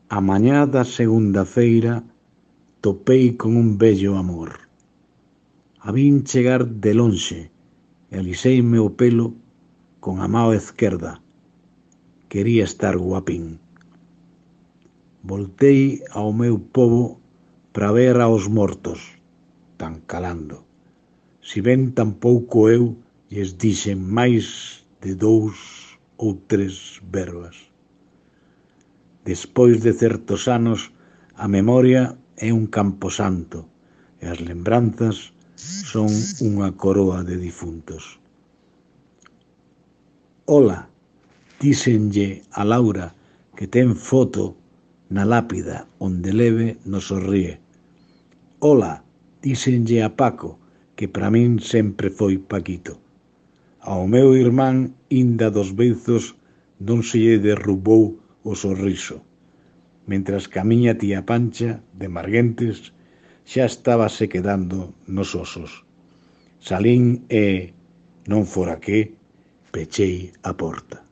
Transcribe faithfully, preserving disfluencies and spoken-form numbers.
A mañá da segunda feira topei con un bello amor. A vin chegar de lonxe e aliseime o pelo con a mao esquerda. Quería estar guapín. Voltei ao meu pobo para ver aos mortos, tan calando. Si ben tampouco eu lles dixen máis de dous ou tres verbas. Despois de certos anos, a memoria é un camposanto e as lembranzas son unha coroa de difuntos. Ola, díxenlle a Laura que ten foto na lápida onde leve nos sorríe. Ola, díxenlle a Paco que para min sempre foi Paquito. Ao meu irmán inda dos beizos non se lle derrubou o sorriso, mentras que a miña tía Pancha, de Marguentes, xa estaba se quedando nos osos. Salín e, non fora que, pechei a porta.